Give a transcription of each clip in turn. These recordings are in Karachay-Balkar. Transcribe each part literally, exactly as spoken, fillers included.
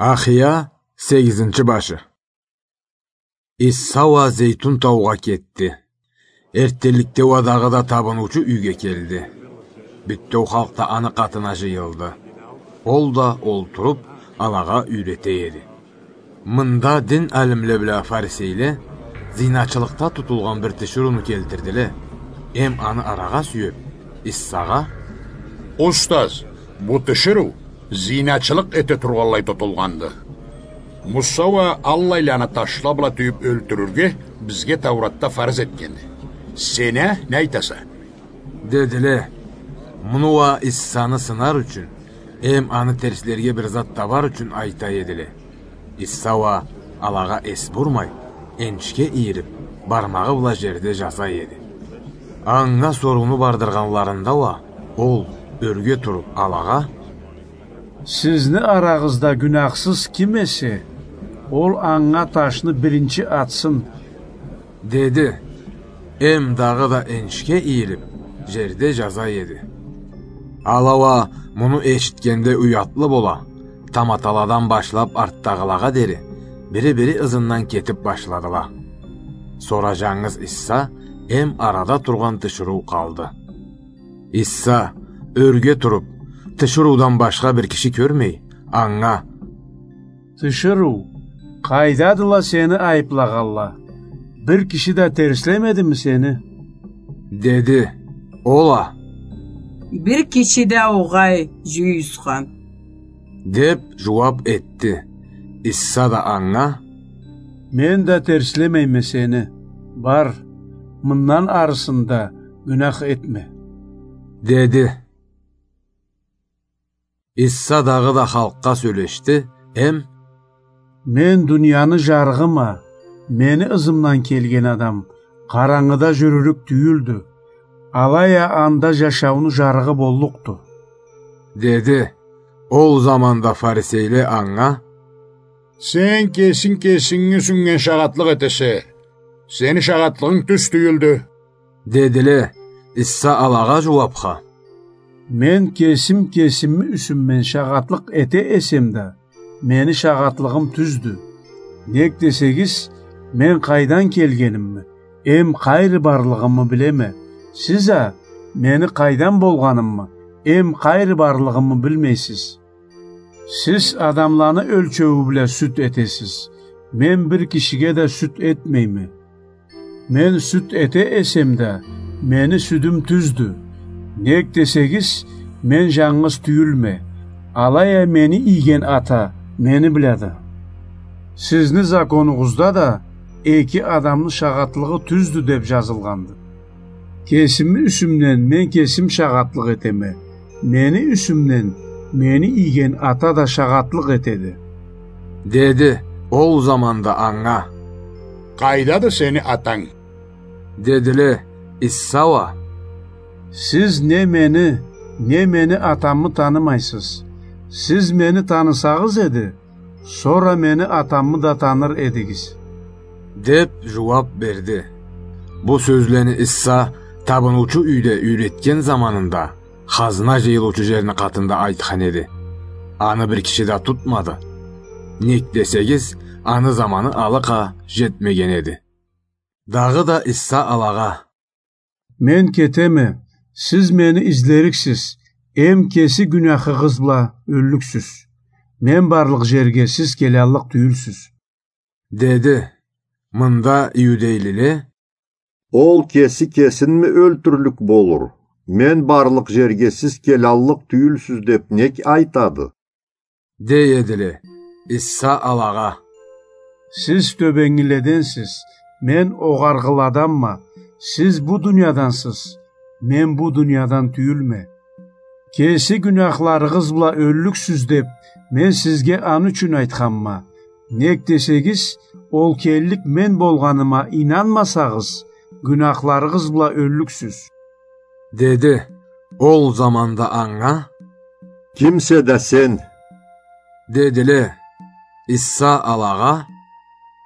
Ахия, сегизинчи башы. Иса уа Зейтун таугъа кетди. Эрттенликде уа дагъыда табыныучу юйге келди. Бютеу халкъ да аны къатына жыйылды. Ол да олтуруп, алагъа юйрете эди. Мында дин алимле бла фарисейле зиначылыкъда тутулгъан бир тиширыуну келтирдиле. Эм аны арагъа сюеп, Исагъа: «Устаз, бу тиширыу зиначылыкъ эте тургъанлай тутулгъанды. Муса уа аллайланы ташла бла тюйюп ёлтюрюрге бизге Тауратда фарз этгенди. Сен а не айтаса?» — дедиле. Муну уа Исаны сынар ючюн, эм аны терслерге бир зат табар ючюн айта эдиле. Иса уа алагъа эс бурмай, энишге ийирип, бармагъы бла жерде жаза эди. Анга сорууну бардыргъанларында уа, ол, ёрге туруп, алагъа: «Сизни арагъызда гюняхсыз ким эсе, ол анга ташны биринчи атсын», — деди. Эм дагъыда энишге ийирип, жерде жаза эди. Ала уа муну эшитгенде уятлы бола, таматаладан башлап артдагъылагъа дери, бири-бири ызындан кетип башладыла. Сора жангыз Иса эм арада тургъан тиширыу къалды. Иса, ёрге туруп, тиширыудан башха бир киши кёрмей, анга: «Тиширыу, къайдадыла сени айыплагъанла? Бир киши да терслемедими сени?» — деди. Ол а: «Бир киши да огъай, жюйюсхан», — деп жууап этди. Иса да анга: «Мен да терслемейме сени. Бар, мындан арысында гюнях этме», — деди. Иса дагъыда халкъгъа сёлешди эм: «Мен дунияны жарыгъыма, мени ызымдан келген адам къарангыда жюрюрюк тюйюлдю, алай а анда жашауну жарыгъы боллукъду», — деди. Ол заманда фарисейле анга: «Сен кесинг кесинги юсюнгден шагъатлыкъ этесе, сени шагъатлыгъынг тюз тюйюлдю», — дедиле. Иса алагъа жууапха: «Мен кесим кесими юсюмден шагъатлыкъ эте эсем да, мени шагъатлыгъым тюздю. Нек десегиз, мен къайдан келгенимни эм къайры барлыгъымы билеме. Сиз а мени къайдан болгъанымы эм къайры барлыгъымы билмейсиз. Сиз адамланы ёлчеую бла сюд этесиз. Мен бир кишиге да сюд этмейме. Мен сюд эте эсем да, мени сюдюм тюздю. Нек десегиз, мен жангыз тюйюлме, алай а мени ийген Ата мени блады. Сизни законугъузда да эки адамны шагъатлыгъы тюздю деп жазылгъанды. Кесими юсюмден мен кесим шагъатлыкъ этеме, мени юсюмден мени ийген Ата да шагъатлыкъ этеди», — деди. Ол заманда анга: «Къайдады сени Атанг?» — дедиле. Иса уа: «Сиз не мени, не мени Атамы танымайсыз. Сиз мени танысагъыз эди, сора мени Атамы да таныр эдигиз», — деп жууап берди. Бу сёзлени Иса табыныучу юйде юйретген заманында хазна жыйылыучу жерни къатында айтхан эди. Аны бир киши да тутмады. Нек десегиз, аны заманы алыкъа жетмеген эди. Дагъыда Иса алагъа: «Мен кетеме, сиз мени излериксиз, эм кеси гюняхыгъыз бла ёллюксюз. Мен барлыкъ жерге сиз келаллыкъ тюйюлсюз», — деди. Мында иудейлиле: «Ол кеси кесинми ёлтюрлюк болур? Мен барлыкъ жерге сиз келаллыкъ тюйюлсюз деп нек айтады?» — дей эдиле. Иса алагъа: «Сиз тёбенгиледенсиз, мен огъаргъыладанма. Сиз бу дуниядансыз, мен бу дуниядан тюйюлме. Кеси гюняхларыгъыз бла ёллюксюз деп, мен сизге аны ючюн айтханма. Нек десегиз, ол келлик мен болгъаныма ийнанмасагъыз, гюняхларыгъыз бла ёллюксюз», — деди. Ол заманда анга: «Кимсе да сен?» — дедиле. Иса алагъа: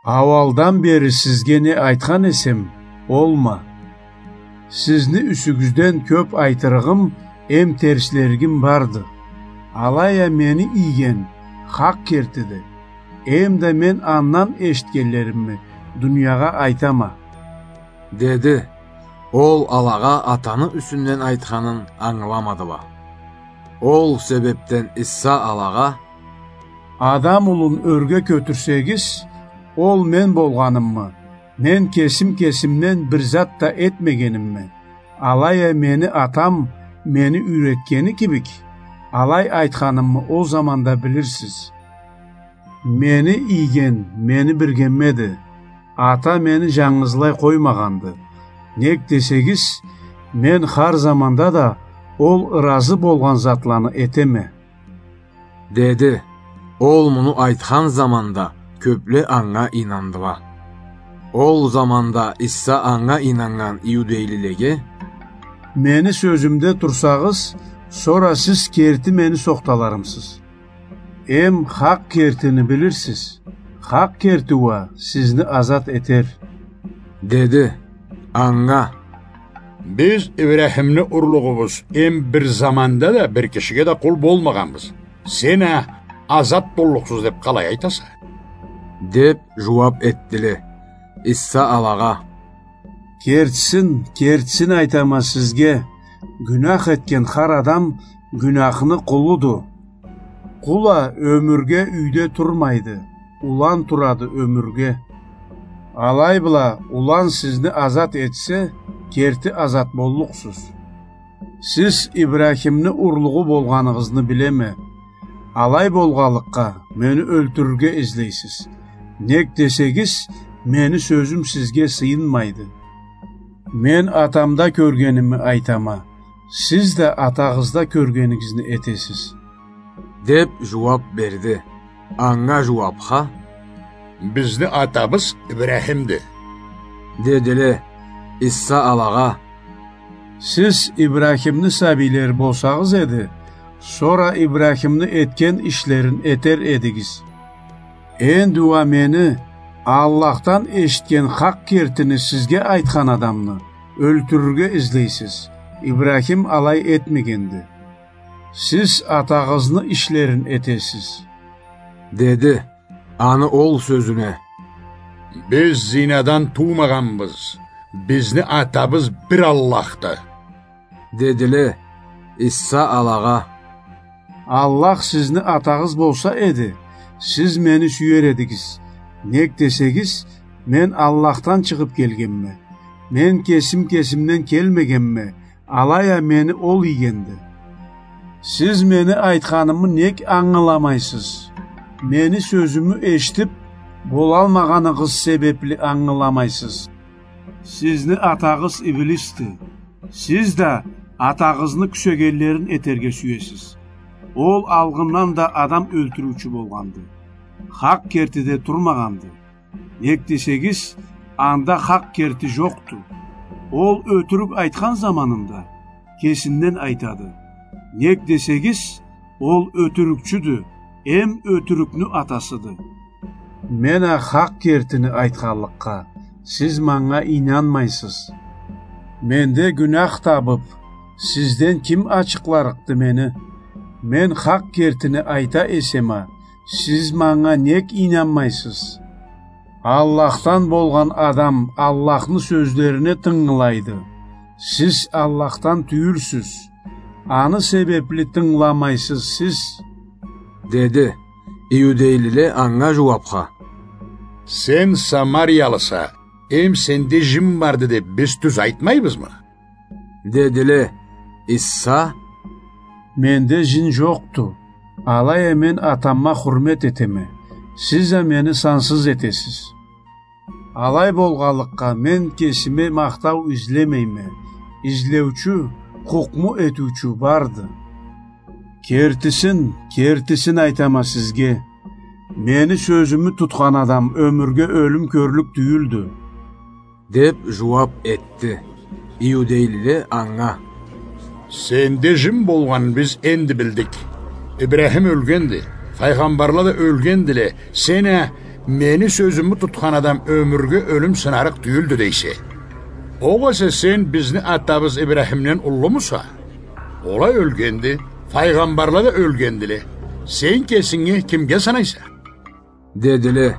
«Ауалдан бери сизге не айтхан эсем, олма. Сизни юсюгюзден кёп айтырыгъым эм терслеригим барды. Алай а мени ийген, хакъ кертиди. Эм да мен андан эшитгенлеримни дуниягъа айтама», — деди. Ол алагъа атаны юсюнден айтханын ангыламадыла. Ол себепден Иса алагъа: «Адам улун ёрге кётюрсегиз, ол мен болгъанымы? Мен кесим кесимден бир зат да этмегенимми? Алай а мени атам мени юйретгени кибик, алай айтханымы ол заманда билирсиз. Мени ийген мени биргеммеди. Ата мени жангызлай къоймагъанды. Нек десегиз, мен хар заманда да ол ыразы болгъан затланы этеме», — деди. Ол муну айтхан заманда кёпле анга ийнандыла. Ол заманда Иса анга ийнаннган иудейлилеге: «Мени сёзюмде турсагъыз, сора сиз керти мени сохталарымсыз. Эм хакъ кертини билирсиз. Хакъ керти уа сизни азат этер», — деди. Анга: «Биз Ибрахимни урлугъубуз, эм бир заманда да бир кишиге да къул болмагъанбыз. Сен а азат боллукъсуз деп къалай айтаса?» — деп жууап этдиле. Иса алагъа: «Кертисин, кертисин айтама сизге, гюнах этген хар адам гюнахны къулуду. Къул а ёмюрге юйде турмайды, улан турады ёмюрге. Алай бла улан сизни азат этсе, керти азат боллукъсуз. Сиз Ибрахимни урлугъу болгъаныгъызны билеме. Алай болгъанлыкъгъа, мени ёлтюрюрге излейсиз. Нек десегиз, мени сёзюм сизге сыйынмайды. Мен атамда кёргенимни айтама, сиз да атагъызда кёргенигизни этесиз», — деп жууап берди. Анга жууапха: «Бизни атабыз Ибрахимди», — дедиле. Иса алагъа: «Сиз Ибрахимни сабийлери болсагъыз эди, сора Ибрахимни этген ишлерин этер эдигиз. Энди уа мени Аллахдан эшитген хакъ кертини сизге айтхан адамны ёлтюрюрге излейсиз. Ибрахим алай этмегенди. Сиз атагъызны ишлерин этесиз», — деди. Аны ол сёзюне: «Биз зинадан туумагъанбыз. Бизни атабыз бир Аллахды», — дедиле. Иса алагъа: «Аллах сизни атагъыз болса эди, сиз мени сюер эдигиз. Нек десегиз, мен Аллахдан чыгъып келгенме. Мен кесим кесимден келмегенме, алай а мени ол ийгенди. Сиз мени айтханымы нек ангыламайсыз? Мени сёзюмю эшитип болалмагъаныгъыз себепли ангыламайсыз. Сизни атагъыз Иблисди. Сиз да атагъызны кюсегенлерин этерге сюесиз. Ол алгъындан да адам ёлтюрюучю болгъанды. Хакъ кертиде турмагъанды. Нек десегиз, анда хакъ керти жокъду. Ол ётюрюк айтхан заманында кесинден айтады. Нек десегиз, ол ётюрюкчюдю, эм ётюрюкню атасыды. Мен а хакъ кертини айтханлыкъгъа, сиз манга ийнанмайсыз. Менде гюнах табып, сизден ким ачыкъларыкъды мени? Мен хакъ кертини айта эсем а, сиз манга нек ийнанмайсыз? Аллахдан болгъан адам Аллахны сёзлерине тынгылайды. Сиз Аллахдан тюйюлсюз. Аны себепли тынгыламайсыз сиз», — деди. Иудейлиле анга жууапха: «Сен самариялыса, эм сенде жин барды деп биз тюз айтмайбызмы?» — дедиле. Иса: «Менде жин жокъду. Алай а мен атамма хурмет этеме. Сиз а мени сансыз этесиз. Алай болгъанлыкъгъа, мен кесиме махтау излемейме. Излеучю, хукму этиучю барды. Кертисин, кертисин айтама сизге, мени сёзюмю тутхан адам ёмюрге ёлюм кёрлюк тюйюлдю», — деп жууап этди. Иудейлиле анга: «Сенде жин болгъанын биз энди билдик. Ибрахим ёлгенди, файгъамбарла да ёлгендиле, сен а, мени сёзюмю тутхан адам ёмюрге ёлюм сынарыкъ тюйюлдю дейсе. Огъесе сен бизни атабыз Ибрахимден уллумуса? Ол а ёлгенди, файгъамбарла да ёлгендиле. Сен кесинги кимге санайса? — дедиле.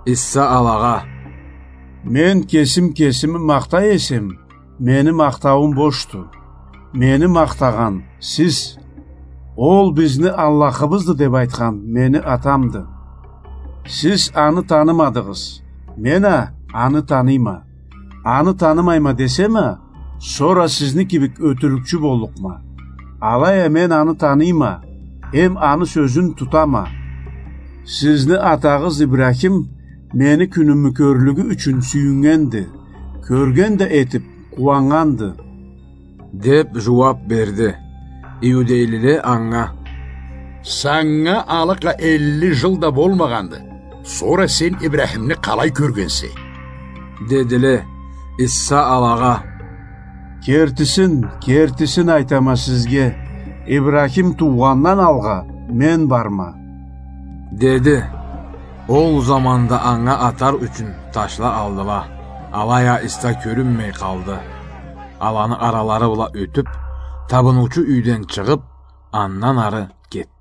Иса алагъа: — Мен кесим кесими махтай эсем, мени махтауум бошду. Мени махтагъан сиз. Ол бизни Аллахыбызды деп айтхан мени Атамды. Сиз аны танымадыгъыз. Мен а аны таныйма. Аны танымайма десем а, сора сизни кибик ётюрюкчю боллукъма. Алай а мен аны таныйма, эм аны сёзюн тутама. Сизни атагъыз Ибрахим мени кюнюмю кёрлюгю ючюн сюйюннгенди, кёрген да этип, къууаннганды, — деп жууап берди. Иудейлиле анга: — Санга алыкъа элли жыл да болмагъанды. Сора сен Ибрахимни къалай кёргенсе? — дедиле. Иса алагъа: — Кертисин, кертисин айтама сизге, Ибрахим туугъандан алгъа мен барма, — деди. Ол заманда анга атар ючюн ташла алдыла. Алай а Иса кёрюнмей къалды. Аланы аралары бла ётюп, табыныучу юйден чыгъып, андан ары кетди.